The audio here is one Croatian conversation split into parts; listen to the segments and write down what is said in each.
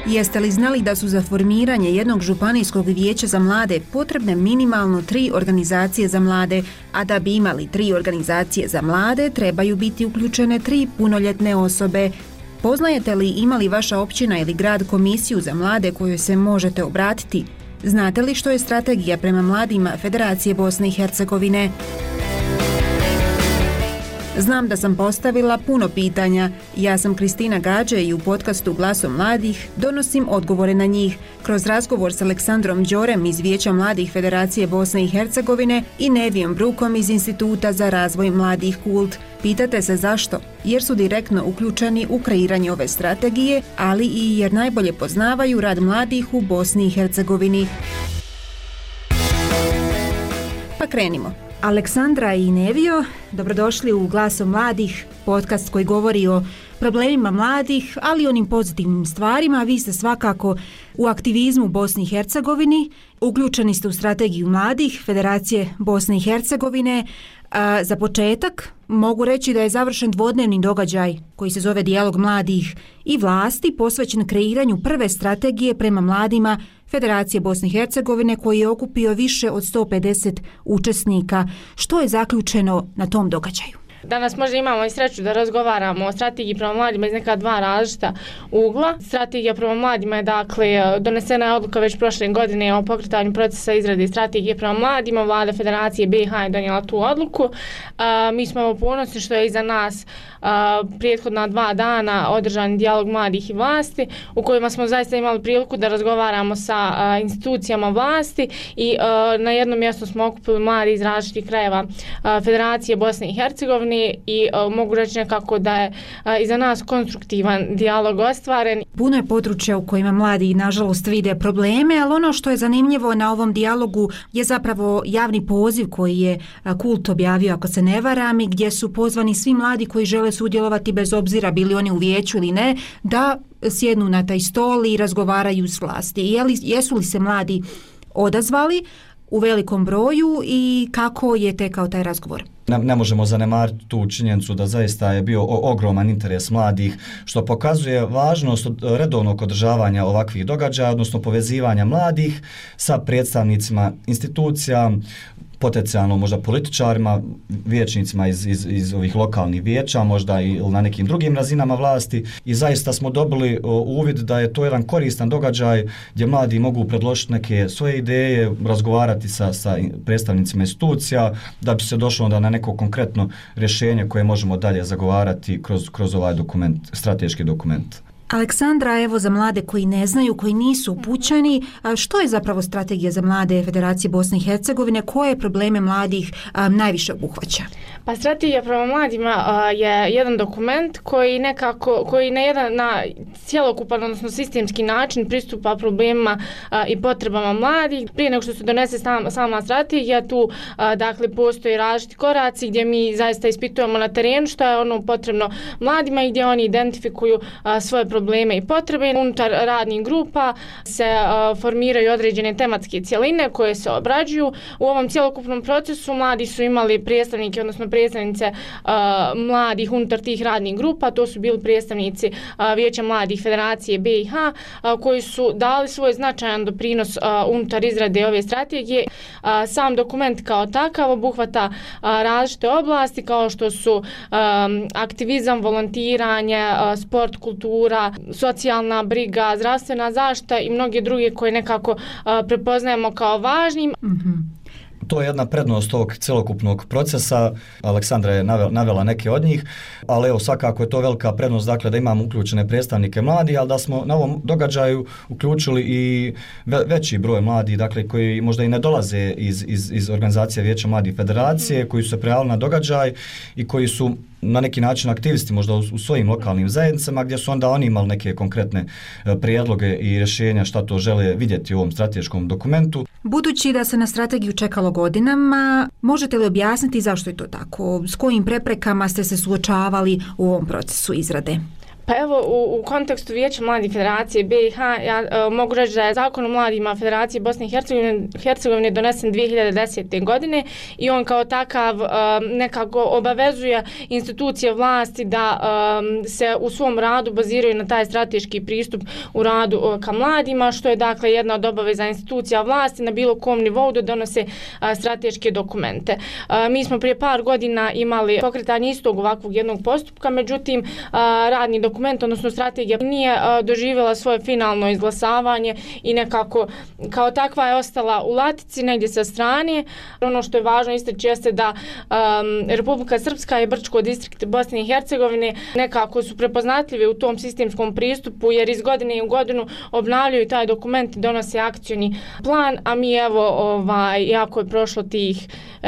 Jeste li znali da su za formiranje jednog županijskog vijeća za mlade potrebne minimalno 3 organizacije za mlade, a da bi imali 3 organizacije za mlade trebaju biti uključene 3 punoljetne osobe? Poznajete li ima li vaša općina ili grad komisiju za mlade kojoj se možete obratiti? Znate li što je strategija prema mladima Federacije Bosne i Hercegovine? Znam da sam postavila puno pitanja. Ja sam Kristina Gađe i u podcastu Glasom mladih donosim odgovore na njih kroz razgovor s Aleksandrom Đorem iz Vijeća mladih Federacije Bosne i Hercegovine i Nevijom Brukom iz Instituta za razvoj mladih Kult. Pitate se zašto? Jer su direktno uključeni u kreiranje ove strategije, ali i jer najbolje poznavaju rad mladih u Bosni i Hercegovini. Pa krenimo. Aleksandra i Nevio, dobrodošli u Glasom mladih, podcast koji govori o problemima mladih, ali i onim pozitivnim stvarima. Vi ste svakako u aktivizmu u Bosni i Hercegovini, uključeni ste u strategiju mladih Federacije Bosne i Hercegovine. Za početak mogu reći da je završen dvodnevni događaj koji se zove Dijalog mladih i vlasti posvećen kreiranju prve strategije prema mladima Federacije Bosne i Hercegovine koji je okupio više od 150 učesnika. Što je zaključeno na tom događaju? Danas možda imamo i sreću da razgovaramo o strategiji prema mladima iz neka 2 različita ugla. Strategija prema mladima je donesena je odluka već prošle godine o pokretanju procesa izrade strategije prema mladima. Vlada Federacije BiH je donijela tu odluku. Mi smo ponosni što je iza nas prethodna 2 dana održan dijalog mladih i vlasti u kojima smo zaista imali priliku da razgovaramo sa institucijama vlasti i na jednom mjestu smo okupili mladi iz različitih krajeva Federacije Bosne i Hercegovine i mogu reći nekako da je iza nas konstruktivan dijalog ostvaren. Puno je područja u kojima mladi nažalost vide probleme, ali ono što je zanimljivo na ovom dijalogu je zapravo javni poziv koji je Kult objavio, ako se ne varam, i gdje su pozvani svi mladi koji žele sudjelovati bez obzira bili oni u vijeću ili ne, da sjednu na taj stol i razgovaraju s vlasti. Jesu li se mladi odazvali u velikom broju i kako je tekao taj razgovor? Ne možemo zanemariti tu činjenicu da zaista je bio ogroman interes mladih, što pokazuje važnost redovnog održavanja ovakvih događaja, odnosno povezivanja mladih sa predstavnicima institucija, potencijalno možda političarima, vijećnicima iz ovih lokalnih vijeća, možda i na nekim drugim razinama vlasti, i zaista smo dobili uvid da je to jedan koristan događaj gdje mladi mogu predložiti neke svoje ideje, razgovarati sa predstavnicima institucija da bi se došlo onda na neko konkretno rješenje koje možemo dalje zagovarati kroz ovaj dokument, strateški dokument. Aleksandra, evo za mlade koji ne znaju, koji nisu upućeni, što je zapravo strategija za mlade Federacije Bosne i Hercegovine, koje probleme mladih najviše obuhvaća? Pa strategija prema mladima je jedan dokument koji na cjelokupan, odnosno sistemski način pristupa problemima i potrebama mladih. Prije nego što se donese sama strategija, tu postoji različiti koraci gdje mi zaista ispitujemo na terenu što je ono potrebno mladima i gdje oni identifikuju svoje probleme i potrebe. Unutar radnih grupa se formiraju određene tematske cjeline koje se obrađuju. U ovom cjelokupnom procesu mladi su imali predstavnike, odnosno predstavnice mladih unutar tih radnih grupa. To su bili predstavnici Vijeća mladih Federacije BiH koji su dali svoj značajan doprinos unutar izrade ove strategije. Sam dokument kao takav obuhvata različite oblasti kao što su aktivizam, volontiranje, sport, kultura, socijalna briga, zdravstvena zaštita i mnoge druge koje nekako prepoznajemo kao važnim. To je jedna prednost ovog celokupnog procesa. Aleksandra je navela neke od njih, ali evo svakako je to velika prednost, dakle da imamo uključene predstavnike mladih, ali da smo na ovom događaju uključili i veći broj mladih, dakle koji možda i ne dolaze iz organizacije Vijeća mladih Federacije, koji su se prijavili na događaj i koji su na neki način aktivisti možda u svojim lokalnim zajednicama gdje su onda oni imali neke konkretne prijedloge i rješenja šta to žele vidjeti u ovom strateškom dokumentu. Budući da se na strategiju čekalo godinama, možete li objasniti zašto je to tako? S kojim preprekama ste se suočavali u ovom procesu izrade? Pa evo, u kontekstu Vijeća mladih Federacije BiH, ja mogu reći da je Zakon o mladima Federacije Bosne i Hercegovine donesen 2010. godine i on kao takav nekako obavezuje institucije vlasti da se u svom radu baziraju na taj strateški pristup u radu ka mladima, što je dakle jedna od obaveza institucija vlasti na bilo kom nivou da donose strateške dokumente. Mi smo prije par godina imali pokretanje istog ovakvog jednog postupka, međutim radni dokument, odnosno strategija, nije doživjela svoje finalno izglasavanje i nekako kao takva je ostala u latici negdje sa strane. Ono što je važno istaći jeste da Republika Srpska i Brčko distrikt Bosne i Hercegovine nekako su prepoznatljivi u tom sistemskom pristupu, jer iz godine u godinu obnavljaju taj dokument i donose akcioni plan, a mi evo, jako je prošlo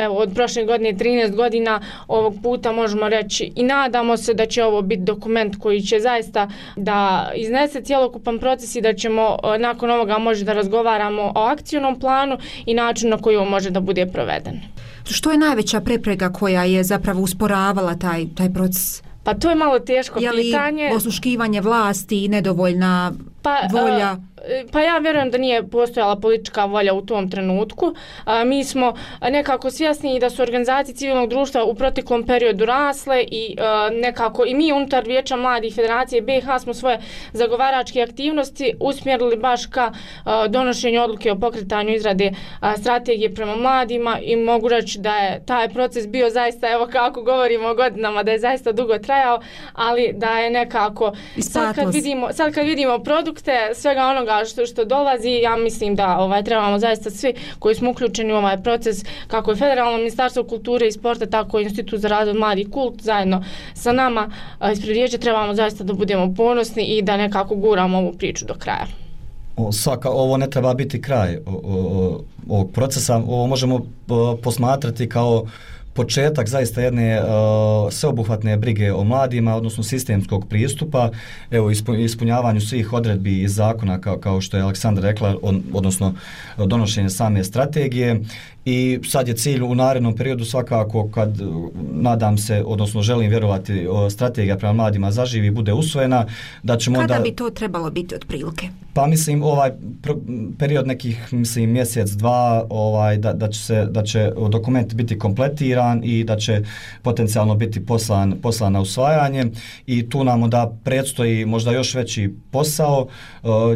od prošle godine 13 godina, ovog puta možemo reći i nadamo se da će ovo biti dokument koji će zaista da iznese cjelokupan proces i da ćemo nakon ovoga možda da razgovaramo o akcionom planu i načinu na koji on može da bude proveden. Što je najveća prepreka koja je zapravo usporavala taj proces? Pa to je malo teško pitanje. Je li osluškivanje vlasti i nedovoljna volja? Pa ja vjerujem da nije postojala politička volja u tom trenutku. Mi smo nekako svjesni da su organizacije civilnog društva u proteklom periodu rasle i nekako i mi unutar Vijeća mladih Federacije BiH smo svoje zagovaračke aktivnosti usmjerili baš ka donošenju odluke o pokretanju izrade strategije prema mladima i mogu reći da je taj proces bio zaista, evo kako govorimo o godinama, da je zaista dugo trajao, ali da je nekako sad kad vidimo produkte svega onoga što dolazi, ja mislim da trebamo zaista svi koji smo uključeni u ovaj proces, kako je Federalno ministarstvo kulture i sporta, tako i Institut za razvoj mladih kult, zajedno sa nama ispred Vijeća trebamo zaista da budemo ponosni i da nekako guramo ovu priču do kraja. Ovo ne treba biti kraj ovog procesa, ovo možemo posmatrati kao početak zaista jedne sveobuhvatne brige o mladima, odnosno sistemskog pristupa, evo ispunjavanju svih odredbi iz zakona kao što je Aleksandra rekla, odnosno donošenje same strategije. I sad je cilj u narednom periodu svakako, kad nadam se, odnosno želim vjerovati, strategija prema mladima zaživi i bude usvojena, da ćemo Kada bi to trebalo biti otprilike? Pa mislim period nekih mjesec, dva, da će dokument biti kompletiran i da će potencijalno biti poslan na usvajanje i tu nam da predstoji možda još veći posao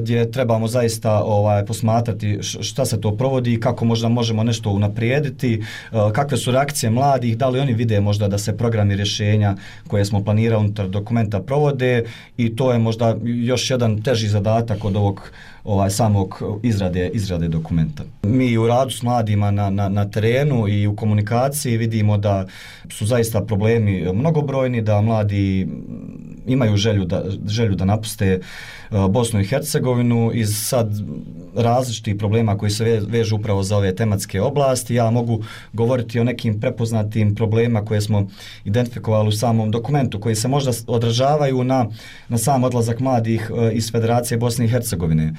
gdje trebamo zaista posmatrati šta se to provodi i kako možda možemo nešto unaprijediti, kakve su reakcije mladih, da li oni vide možda da se programi rješenja koje smo planirali unutar dokumenta provode i to je možda još jedan teži zadatak od ovog samog izrade dokumenta. Mi u radu s mladima na terenu i u komunikaciji vidimo da su zaista problemi mnogobrojni, da mladi imaju želju da napuste Bosnu i Hercegovinu iz sad različitih problema koji se vežu upravo za ove tematske oblasti. Ja mogu govoriti o nekim prepoznatim problemima koje smo identifikovali u samom dokumentu, koji se možda odražavaju na sam odlazak mladih iz Federacije Bosne i Hercegovine.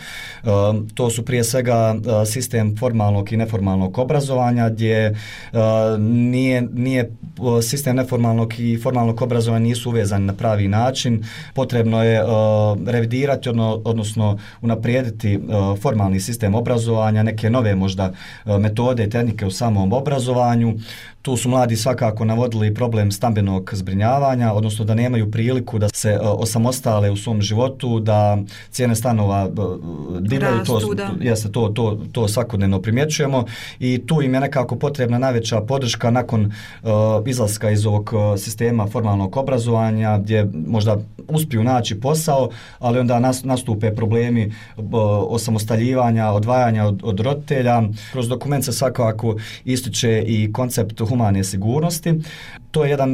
To su prije svega sistem formalnog i neformalnog obrazovanja, gdje nije sistem neformalnog i formalnog obrazovanja nisu uvezani na pravi način. Potrebno je revidirati, odnosno unaprijediti formalni sistem obrazovanja, neke nove možda metode i tehnike u samom obrazovanju. Tu su mladi svakako navodili problem stambenog zbrinjavanja, odnosno da nemaju priliku da se osamostale u svom životu, da cijene stanova divljaju, to svakodnevno primjećujemo i tu im je nekako potrebna najveća podrška nakon izlaska iz ovog sistema formalnog obrazovanja, gdje možda uspiju naći posao, ali onda nastupe problemi osamostaljivanja, odvajanja od roditelja. Kroz dokument se svakako ističe i koncept humane sigurnosti. To je jedan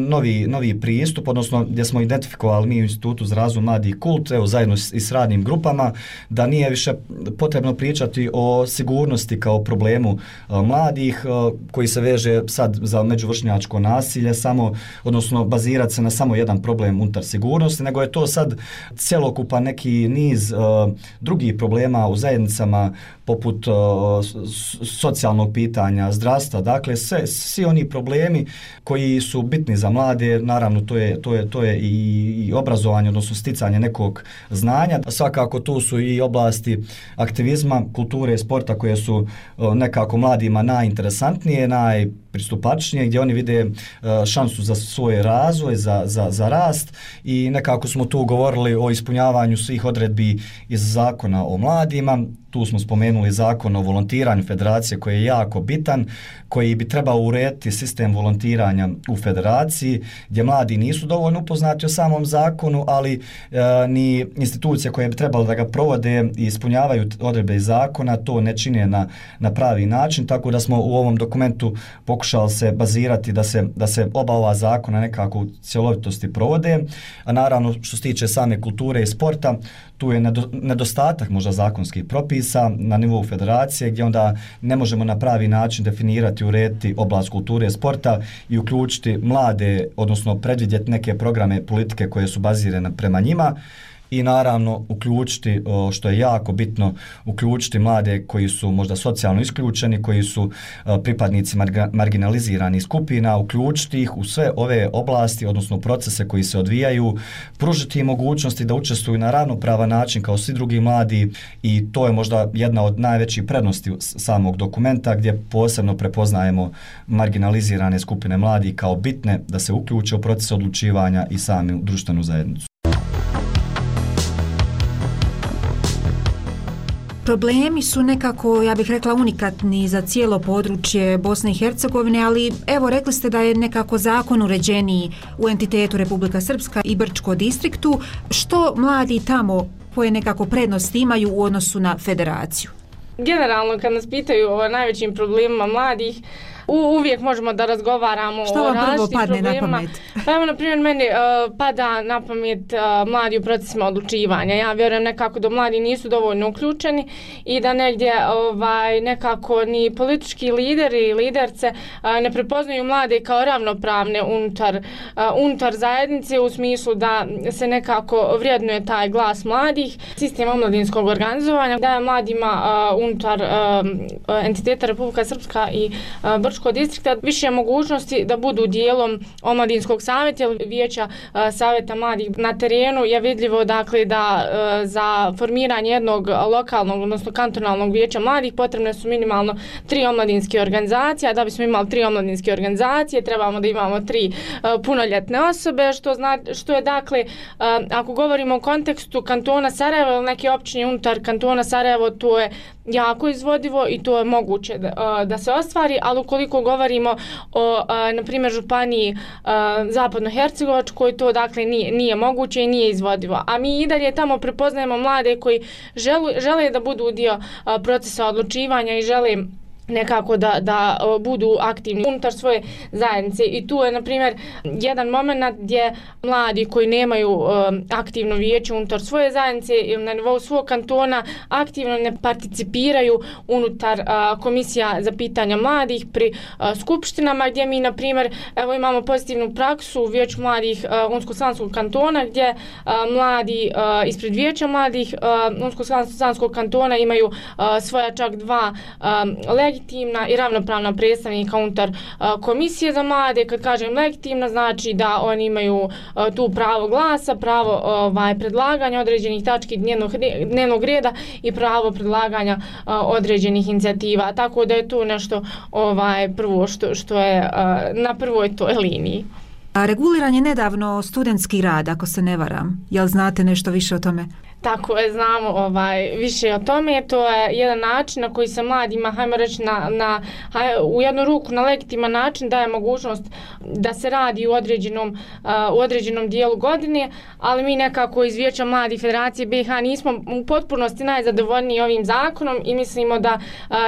novi pristup, odnosno gdje smo identifikovali mi u Institutu za razvoj mladih kult, zajedno i s radnim grupama, da nije više potrebno pričati o sigurnosti kao problemu mladih koji se veže sad za međuvršnjačko nasilje, odnosno bazirati se na samo jedan problem unutar sigurnosti, nego je to sad cjelokupan neki niz drugih problema u zajednicama poput socijalnog pitanja, zdravstva, dakle svi oni problemi koji su bitni za mlade, naravno to je i obrazovanje, odnosno sticanje nekog znanja. Svakako tu su i oblasti aktivizma, kulture i sporta koje su nekako mladima najinteresantnije, najpristupačnije, gdje oni vide šansu za svoj razvoj, za rast i nekako smo tu govorili o ispunjavanju svih odredbi iz zakona o mladima. Tu smo spomenuli zakon o volontiranju federacije koji je jako bitan, koji bi trebao urediti sistem volontiranja u federaciji, gdje mladi nisu dovoljno upoznati o samom zakonu, ali ni institucije koje bi trebalo da ga provode i ispunjavaju odredbe iz zakona to ne čine na pravi način, tako da smo u ovom dokumentu pokušali se bazirati da se oba ova zakona nekako u cjelovitosti provode, a naravno što se tiče same kulture i sporta, tu je nedostatak možda zakonskih propisa na nivou federacije gdje onda ne možemo na pravi način definirati, urediti oblast kulture i sporta i uključiti mlade, odnosno predvidjeti neke programe politike koje su bazirane prema njima i naravno uključiti, što je jako bitno, uključiti mlade koji su možda socijalno isključeni, koji su pripadnici marginaliziranih skupina, uključiti ih u sve ove oblasti, odnosno procese koji se odvijaju, pružiti im mogućnosti da učestvuju na ravnopravan način kao svi drugi mladi i to je možda jedna od najvećih prednosti samog dokumenta gdje posebno prepoznajemo marginalizirane skupine mladih kao bitne da se uključe u proces odlučivanja i sami društvenu zajednicu. Problemi su nekako, ja bih rekla, unikatni za cijelo područje Bosne i Hercegovine, ali evo rekli ste da je nekako zakon uređeniji u entitetu Republika Srpska i Brčko distriktu. Što mladi tamo koje nekako prednosti imaju u odnosu na federaciju? Generalno kad nas pitaju o najvećim problemima mladih, uvijek možemo da razgovaramo o različitim problemima. Pa evo, na primjer, meni pada na pamet mladi u procesima odlučivanja. Ja vjerujem nekako da mladi nisu dovoljno uključeni i da negdje nekako ni politički lideri i liderce ne prepoznaju mlade kao ravnopravne unutar zajednice u smislu da se nekako vrijednuje taj glas mladih. Sistem omladinskog organizovanja daje mladima unutar entiteta Republika Srpska i Brčko distrikta više mogućnosti da budu dijelom omladinskog savjeta ili vijeća savjeta mladih. Na terenu je vidljivo dakle da za formiranje jednog lokalnog, odnosno kantonalnog vijeća mladih potrebne su minimalno 3 omladinske organizacije, a da bismo imali 3 omladinske organizacije trebamo da imamo 3 punoljetne osobe, što je dakle, ako govorimo o kontekstu kantona Sarajevo ili neke općine unutar kantona Sarajevo, to je jako izvodivo i to je moguće da se ostvari, ali ukoliko govorimo o, na primjer, županiji Zapadno-Hercegovačkoj, to dakle nije moguće i nije izvodivo. A mi i dalje tamo prepoznajemo mlade koji žele da budu dio procesa odlučivanja i žele nekako da budu aktivni unutar svoje zajednice i tu je na primjer jedan moment gdje mladi koji nemaju aktivno vijeće unutar svoje zajednice ili na nivou svog kantona aktivno ne participiraju unutar komisija za pitanja mladih pri skupštinama gdje mi na primjer evo imamo pozitivnu praksu u vijeću mladih Unsko-Sanskog kantona gdje mladi ispred vijeća mladih Unsko-Sanskog kantona imaju svoja čak 2 legitimna i ravnopravna predstavnika unutar komisije za mlade. Kad kažem legitimna, znači da oni imaju tu pravo glasa, pravo predlaganja određenih tački dnevnog reda i pravo predlaganja određenih inicijativa. Tako da je tu nešto prvo što je na prvoj toj liniji. A reguliran je nedavno studentski rad, ako se ne varam. Jel znate nešto više o tome? Tako je, znamo više o tome. To je jedan način na koji se mladima, hajmo reći, u jednu ruku na legitiman način daje mogućnost da se radi u određenom dijelu godine, ali mi nekako iz Vijeća mladih Federacije BiH nismo u potpunosti najzadovoljniji ovim zakonom i mislimo da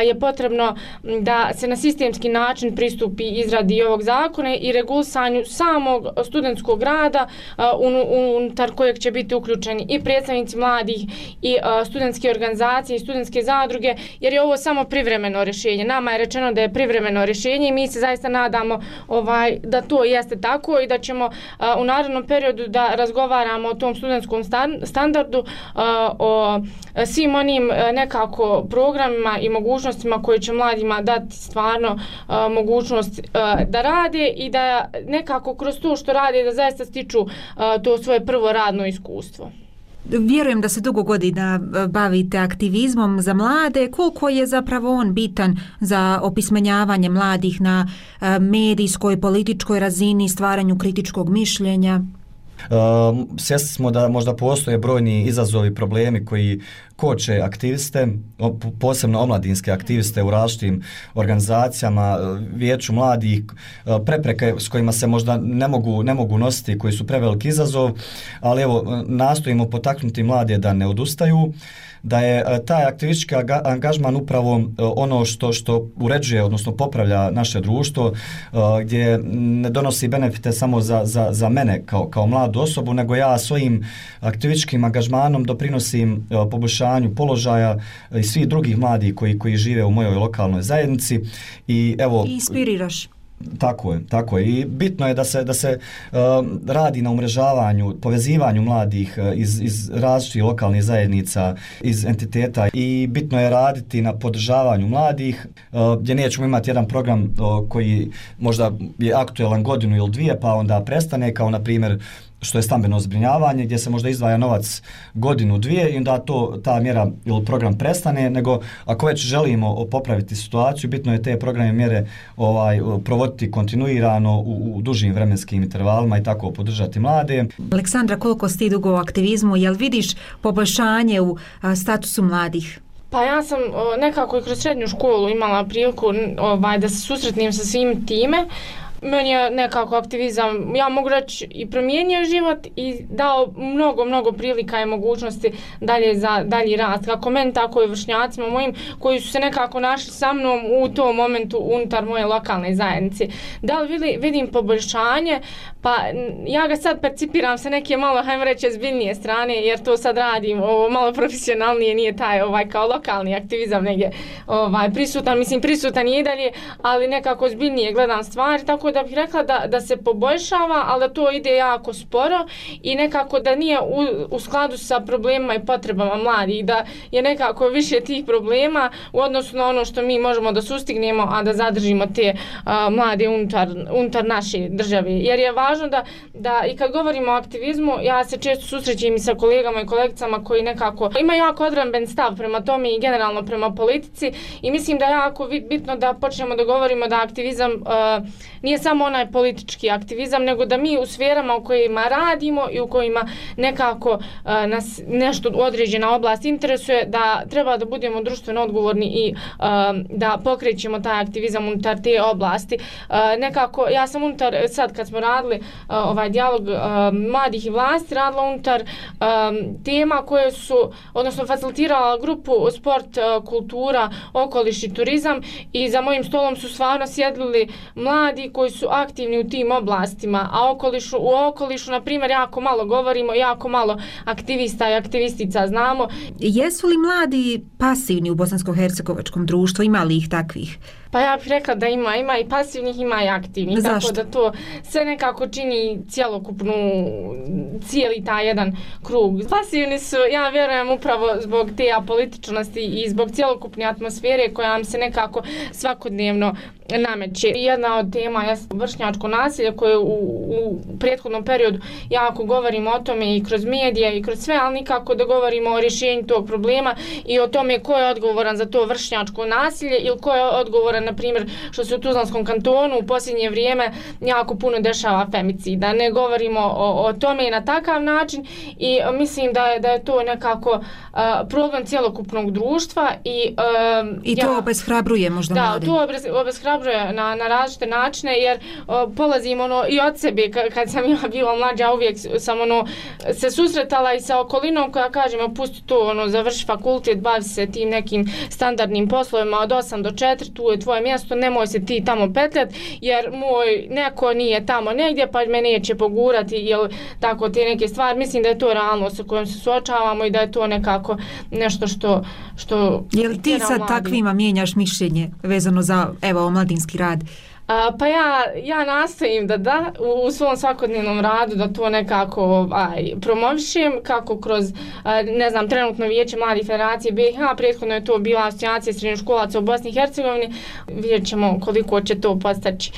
je potrebno da se na sistemski način pristupi izradi ovog zakona i regulisanju samog studentskog rada unutar kojeg će biti uključeni i predstavnici mladih i studentske organizacije i studentske zadruge, jer je ovo samo privremeno rješenje. Nama je rečeno da je privremeno rješenje i mi se zaista nadamo da to jeste tako i da ćemo u narednom periodu da razgovaramo o tom studentskom standardu, o svim onim nekako programima i mogućnostima koje će mladima dati stvarno mogućnost da rade i da nekako kroz to što rade da zaista stiču to svoje prvo radno iskustvo. Vjerujem da se dugo godina bavite aktivizmom za mlade. Koliko je zapravo on bitan za opismenjavanje mladih na medijskoj, političkoj razini, stvaranju kritičkog mišljenja? Svjesni smo da možda postoje brojni izazovi, problemi koji koče aktiviste, posebno omladinske aktiviste u različitim organizacijama, vijeću mladih, prepreke s kojima se možda ne mogu nositi, koji su preveliki izazov, ali evo, nastojimo potaknuti mlade da ne odustaju, da je taj aktivistički angažman upravo ono što uređuje, odnosno popravlja naše društvo, gdje ne donosi benefite samo za mene kao mladu osobu, nego ja svojim aktivističkim angažmanom doprinosim poboljšanju položaja i svih drugih mladih koji žive u mojoj lokalnoj zajednici. I evo, inspiriraš. Tako je. I bitno je da se radi na umrežavanju, povezivanju mladih iz različitih lokalnih zajednica, iz entiteta, i bitno je raditi na podržavanju mladih, gdje nećemo imati jedan program koji možda je aktuelan godinu ili dvije pa onda prestane, kao na primjer što je stambeno zbrinjavanje, gdje se možda izdvaja novac godinu, dvije i onda ta mjera ili program prestane, nego ako već želimo popraviti situaciju, bitno je te programe mjere provoditi kontinuirano u dužim vremenskim intervalima i tako podržati mlade. Aleksandra, koliko si ti dugo u aktivizmu, jel vidiš poboljšanje u statusu mladih? Pa ja sam nekako i kroz srednju školu imala priliku da se susretnem sa svim time. Meni je nekako aktivizam, ja mogu reći, i promijenio život i dao mnogo prilika i mogućnosti dalje za dalji rast, kako meni, tako i vršnjacima mojim koji su se nekako našli sa mnom u tom momentu unutar moje lokalne zajednice. Da li vidim poboljšanje? Pa ja ga sad percipiram sa neke malo, hajmo reći, zbiljnije strane, jer to sad radim malo profesionalnije, nije taj kao lokalni aktivizam negdje prisutan je i dalje, ali nekako zbiljnije gledam stvari, tako da bih rekla da se poboljšava, ali da to ide jako sporo i nekako da nije u skladu sa problemima i potrebama mladih, da je nekako više tih problema u odnosu na ono što mi možemo da sustignemo, a da zadržimo te mlade unutar naše države. Jer je važno da i kad govorimo o aktivizmu, ja se često susrećem i sa kolegama i kolegicama koji nekako imaju jako odbramben stav prema tome i generalno prema politici, i mislim da je jako bitno da počnemo da govorimo da aktivizam nije samo onaj politički aktivizam, nego da mi u sferama u kojima radimo i u kojima nekako nas nešto određena oblast interesuje, da treba da budemo društveno odgovorni i da pokrećemo taj aktivizam unutar te oblasti. Nekako, ja sam unutar, sad kad smo radili ovaj dijalog mladih i vlasti, radila unutar tema koje su, odnosno facilitirala grupu sport, kultura, okoliš i turizam, i za mojim stolom su stvarno sjedili mladi koji su aktivni u tim oblastima, a u okolišu, na primjer, jako malo govorimo, jako malo aktivista i aktivistica znamo. Jesu li mladi pasivni u bosansko-hercegovačkom društvu? Ima li ih takvih? Pa ja bih rekla da ima i pasivnih, ima i aktivnih. Zašto? Tako da to sve nekako čini cijeli taj jedan krug. Pasivni su, ja vjerujem, upravo zbog te apolitičnosti i zbog cjelokupne atmosfere koja nam se nekako svakodnevno nameće. Jedna od tema je vršnjačko nasilje koje u prethodnom periodu jako govorimo o tome i kroz medije i kroz sve, ali nikako da govorimo o rješenju tog problema i o tome ko je odgovoran za to vršnjačko nasilje ili ko je odgovoran, na primjer, što se u Tuzlanskom kantonu u posljednje vrijeme jako puno dešava femicida. Ne govorimo o tome na takav način i mislim da je to nekako problem cjelokupnog društva i to obeshrabruje možda mlade. Da, to obeshrabruje ohrabruje na različite načine, jer polazim i od sebe, kad sam ja bila mlađa, uvijek sam se susretala i sa okolinom koja kaže, pusti to, završi fakultet, bavi se tim nekim standardnim poslovima od 8 do 4, tu je tvoje mjesto, nemoj se ti tamo petljat, jer moj neko nije tamo negdje, pa me neće pogurati, ili tako te neke stvari. Mislim da je to realnost sa kojom se suočavamo i da je to nekako nešto što je li ti sad takvima mijenjaš mišljenje vezano za omladinski rad? Pa ja nastojim da u svom svakodnevnom radu da to nekako promovišem, kako kroz, ne znam, trenutno Vijeće mladih federacije BiH, prethodno je to bila asocijacija srednjoškolaca u Bosni i Hercegovini, vidjet ćemo koliko će to postaći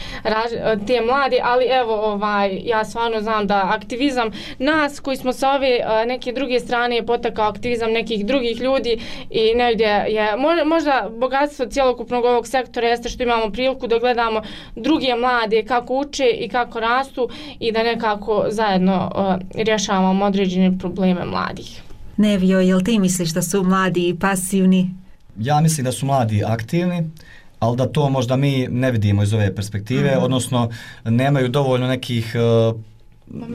te mladi, ali evo, ja stvarno znam da aktivizam nas koji smo sa ove neke druge strane je potakao aktivizam nekih drugih ljudi i negdje je možda bogatstvo cjelokupnog ovog sektora jeste što imamo priliku da gledamo druge mlade kako uče i kako rastu i da nekako zajedno rješavamo određene probleme mladih. Nevio, jel ti misliš da su mladi pasivni? Ja mislim da su mladi aktivni, ali da to možda mi ne vidimo iz ove perspektive, odnosno nemaju dovoljno nekih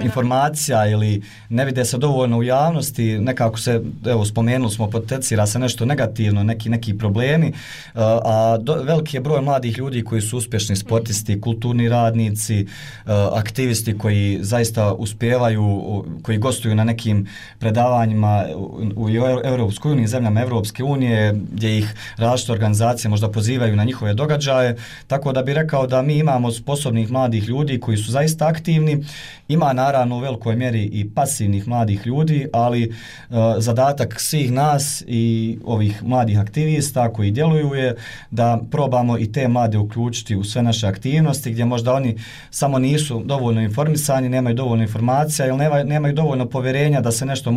informacija ili ne vide se dovoljno u javnosti, nekako se, evo spomenuli smo, potencira se nešto negativno, neki problemi, a veliki je broj mladih ljudi koji su uspješni sportisti, kulturni radnici, aktivisti koji zaista uspijevaju, koji gostuju na nekim predavanjima u Europskoj uniji, zemljama Europske unije, gdje ih različite organizacije možda pozivaju na njihove događaje, tako da bi rekao da mi imamo sposobnih mladih ljudi koji su zaista aktivni. Ima naravno u velikoj mjeri i pasivnih mladih ljudi, ali zadatak svih nas i ovih mladih aktivista koji djeluju je da probamo i te mlade uključiti u sve naše aktivnosti, gdje možda oni samo nisu dovoljno informisani, nemaju dovoljno informacija ili nemaju dovoljno povjerenja da se nešto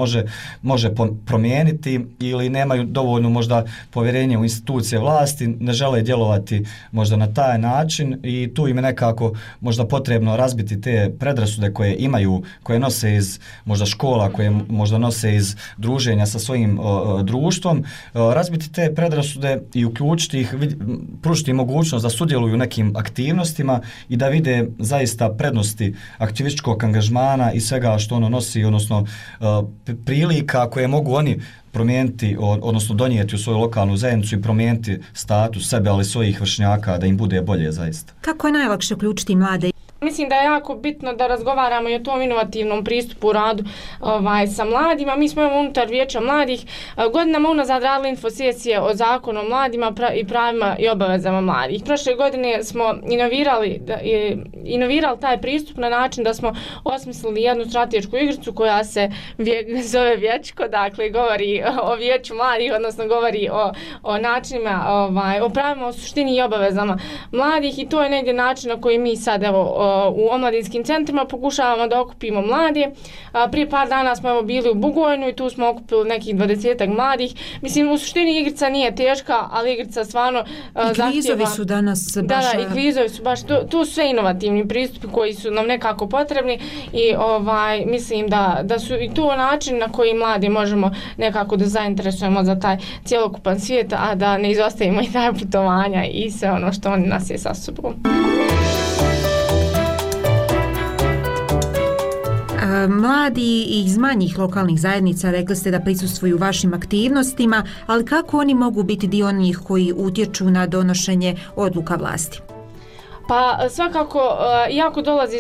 može promijeniti ili nemaju dovoljno možda povjerenje u institucije vlasti, ne žele djelovati možda na taj način i tu im je nekako možda potrebno razbiti te predrasude koje imaju, koje nose iz možda škola, koje možda nose iz druženja sa svojim društvom, razbiti te predrasude i uključiti ih, pružiti mogućnost da sudjeluju u nekim aktivnostima i da vide zaista prednosti aktivističkog angažmana i svega što ono nosi, odnosno prilika koje mogu oni promijeniti, odnosno donijeti u svoju lokalnu zajednicu i promijeniti status sebe, ali svojih vršnjaka, da im bude bolje zaista. Kako je najlakše uključiti mlade? Mislim da je jako bitno da razgovaramo i o tom inovativnom pristupu u radu sa mladima. Mi smo unutar Vijeća mladih godinama unazad radili infosesije o zakonu o mladima i pravima i obavezama mladih. Prošle godine smo inovirali taj pristup na način da smo osmislili jednu stratešku igricu koja se zove Vijećko, dakle govori o Vijeću mladih, odnosno govori o načinima, o pravima, o suštini i obavezama mladih i to je negdje način na koji mi sad u omladinskim centrima pokušavamo da okupimo mlade. Prije par dana smo bili u Bugojnu i tu smo okupili nekih 20-ak mladih. Mislim, u suštini igrica nije teška, ali igrica stvarno zahtjeva. I kvizovi su danas baš... Da, i kvizovi su baš, tu su sve inovativni pristupi koji su nam nekako potrebni i mislim da su i to način na koji mladi možemo nekako da zainteresujemo za taj cjelokupan svijet, a da ne izostavimo i taj putovanja i sve ono što oni nas je sa sobom. Mladi iz manjih lokalnih zajednica rekli ste da prisustvuju vašim aktivnostima, ali kako oni mogu biti dio onih koji utječu na donošenje odluka vlasti? Pa svakako, iako dolazi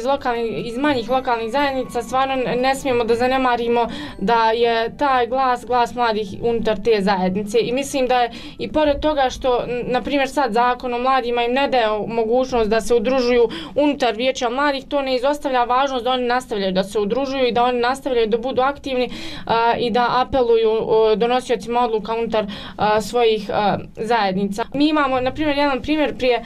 iz manjih lokalnih zajednica, stvarno ne smijemo da zanemarimo da je taj glas mladih unutar te zajednice i mislim da je i pored toga što, na primjer sad zakon o mladima im ne daje mogućnost da se udružuju unutar Vijeća mladih, to ne izostavlja važnost da oni nastavljaju da se udružuju i da oni nastavljaju da budu aktivni i da apeluju donosiocima odluka unutar svojih zajednica. Mi imamo, na primjer, jedan primjer prije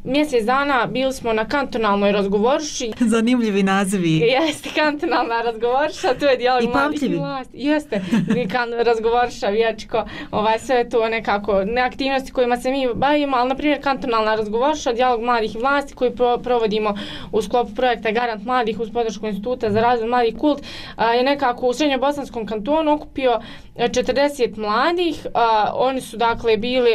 mjesec dana bili smo na kantonalnoj razgovorši. Zanimljivi nazivi. Jeste, kantonalna razgovorša, to je dijalog mladih i vlasti. Jeste, razgovorša, vječko, sve to nekako, ne aktivnosti kojima se mi bavimo, ali na primjer kantonalna razgovorša, dijalog mladih i vlasti koji provodimo u sklopu projekta Garant mladih uz podršku Instituta za razvoj mladih Kult, je nekako u Srednjobosanskom kantonu okupio 40 mladih. Oni su dakle bili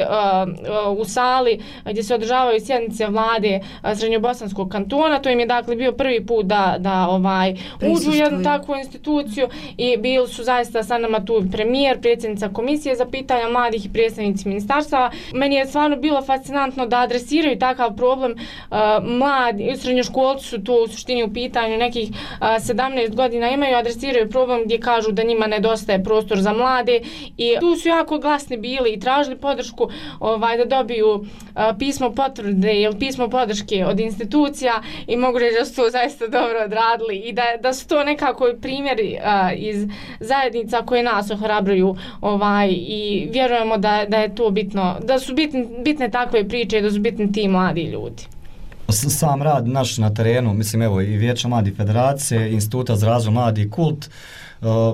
u sali gdje se održavaju sjednice vlade Srednjobosanskog kantona. To im je dakle bio prvi put da uđu u jednu takvu instituciju i bili su zaista sa nama tu premijer, predsjednica komisije za pitanja mladih i predstavnici ministarstava. Meni je stvarno bilo fascinantno da adresiraju takav problem. Mladi, srednjoškolci su to u suštini u pitanju nekih 17 godina imaju, adresiraju problem gdje kažu da njima nedostaje prostor za mlade i tu su jako glasni bili i tražili podršku da dobiju pismo potvrde ili pismo podrške od institucija i mogu reći da su to zaista dobro odradili i da su to nekako primjeri iz zajednica koje nas ohrabruju i vjerujemo da je to bitno, da su bitne takve priče i da su bitni ti mladi ljudi. Sam rad naš na terenu, mislim evo i Vijeća mladih federacije, Instituta za razvoj mladih Kult,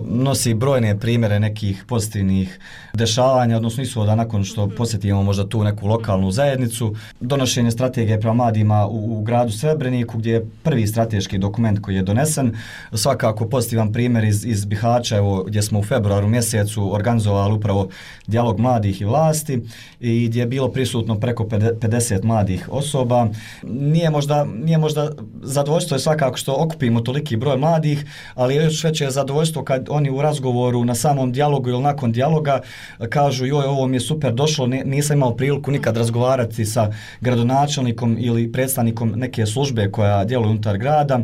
nosi brojne primjere nekih pozitivnih dešavanja, odnosno ishoda nakon što posjetimo možda tu neku lokalnu zajednicu. Donošenje strategije prema mladima u gradu Srebreniku, gdje je prvi strateški dokument koji je donesen. Svakako pozitivan primjer iz Bihaća, evo, gdje smo u februaru mjesecu organizovali upravo dijalog mladih i vlasti i gdje je bilo prisutno preko 50 mladih osoba. Nije možda zadovoljstvo je svakako što okupimo toliki broj mladih, ali još veće je zadovoljstvo kad oni u razgovoru na samom dijalogu ili nakon dijaloga kažu joj, ovo mi je super došlo, nisam imao priliku nikad razgovarati sa gradonačelnikom ili predstavnikom neke službe koja djeluje unutar grada.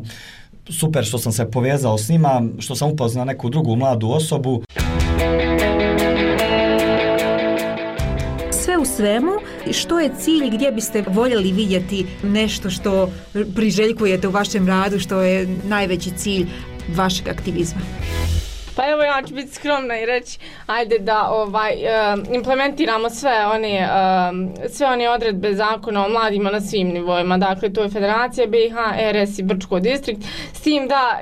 Super što sam se povezao s njima, što sam upoznao neku drugu mladu osobu. Sve u svemu, što je cilj, gdje biste voljeli vidjeti nešto što priželjkujete u vašem radu, što je najveći cilj vašeg aktivizma? Pa evo ja ću biti skromna i reći ajde da implementiramo sve one odredbe zakona o mladima na svim nivoima. Dakle, to je Federacija BiH, RS i Brčko distrikt. S tim da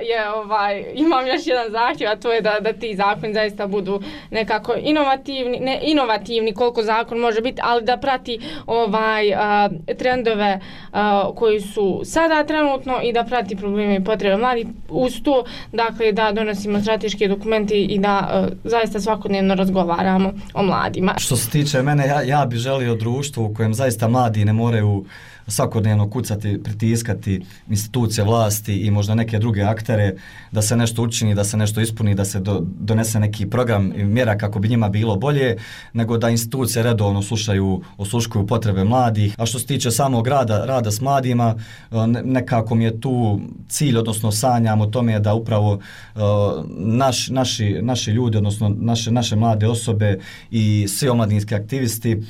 imam još jedan zahtjev, a to je da ti zakoni zaista budu nekako inovativni koliko zakon može biti, ali da prati trendove koji su sada trenutno i da prati probleme i potrebe mladih. Uz to, dakle, da donosimo strateške dokumenti i da zaista svakodnevno razgovaramo o mladima. Što se tiče mene, ja bih želio društvo u kojem zaista mladi ne moraju svakodnevno kucati, pritiskati institucije vlasti i možda neke druge aktere da se nešto učini, da se nešto ispuni, da se donese neki program i mjera kako bi njima bilo bolje, nego da institucije redovno osluškuju potrebe mladih. A što se tiče samog rada s mladima, nekako mi je tu cilj, odnosno sanjam o tome da upravo naši ljudi, odnosno naše mlade osobe i svi omladinski aktivisti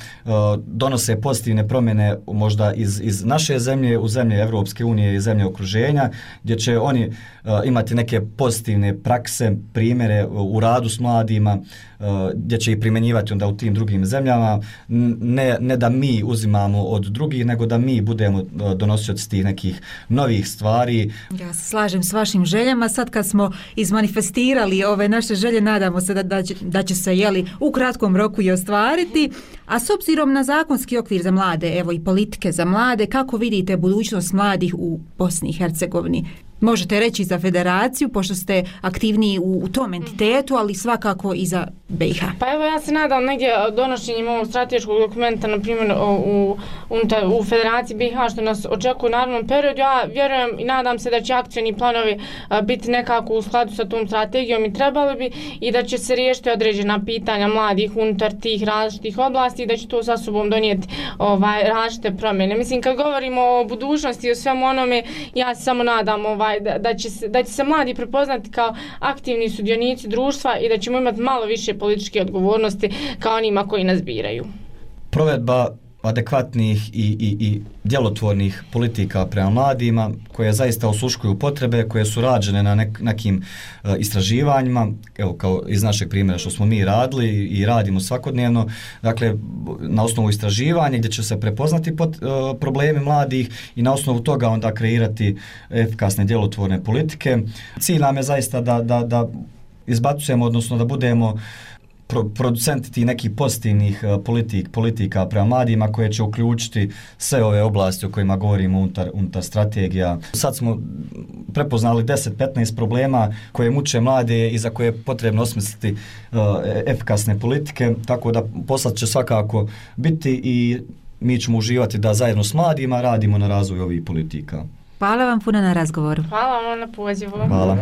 donose pozitivne promjene možda iz naše zemlje u zemlje Evropske unije i zemlje okruženja, gdje će oni imati neke pozitivne prakse, primjere u radu s mladima, gdje će ih primjenjivati onda u tim drugim zemljama, ne da mi uzimamo od drugih, nego da mi budemo donosioci tih nekih novih stvari. Ja se slažem s vašim željama. Sad kad smo izmanifestirali ove naše želje, nadamo se da će se u kratkom roku i ostvariti. A s obzirom na zakonski okvir za mlade, evo i politike za mlade, kako vidite budućnost mladih u Bosni i Hercegovini? Možete reći za federaciju, pošto ste aktivniji u tom entitetu, ali svakako i za BiH. Pa evo ja se nadam negdje donošenjem ovog strateškog dokumenta, na primjer u federaciji BiH, što nas očekuje u narednom periodu. Ja vjerujem i nadam se da će akcioni planovi biti nekako u skladu sa tom strategijom i trebali bi, i da će se riješiti određena pitanja mladih unutar tih različitih oblasti i da će to sa sobom donijeti različite promjene. Mislim, kad govorimo o budućnosti i o svemu onome, ja se samo nadam da će se mladi prepoznati kao aktivni sudionici društva i da ćemo imati malo više političke odgovornosti kao onima koji nas biraju. Provedba adekvatnih i djelotvornih politika prema mladima, koje zaista osluškuju potrebe, koje su rađene na nekim istraživanjima, evo kao iz našeg primjera što smo mi radili i radimo svakodnevno, dakle na osnovu istraživanja gdje će se prepoznati problemi mladih i na osnovu toga onda kreirati efikasne djelotvorne politike. Cilj nam je zaista da izbacujemo, odnosno da budemo producenti tih nekih pozitivnih politika prema mladima koje će uključiti sve ove oblasti o kojima govorimo unutar strategija. Sad smo prepoznali 10-15 problema koje muče mlade i za koje je potrebno osmisliti efikasne politike, tako da poslat će svakako biti i mi ćemo uživati da zajedno s mladima radimo na razvoju ovih politika. Hvala vam puno na razgovoru. Hvala vam na pozivu. Hvala.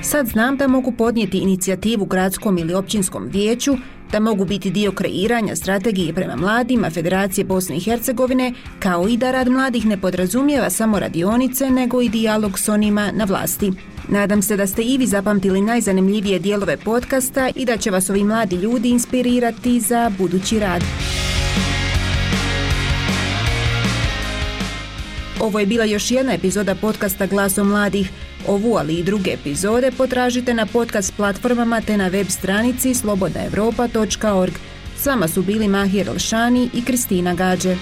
Sad znam da mogu podnijeti inicijativu gradskom ili općinskom vijeću, da mogu biti dio kreiranja strategije prema mladima Federacije Bosne i Hercegovine, kao i da rad mladih ne podrazumijeva samo radionice, nego i dijalog s onima na vlasti. Nadam se da ste i vi zapamtili najzanimljivije dijelove podcasta i da će vas ovi mladi ljudi inspirirati za budući rad. Ovo je bila još jedna epizoda podcasta Glasom mladih. Ovu, ali i druge epizode potražite na podcast platformama te na web stranici slobodnaevropa.org. S vama su bili Mahir Elšani i Kristina Gađe.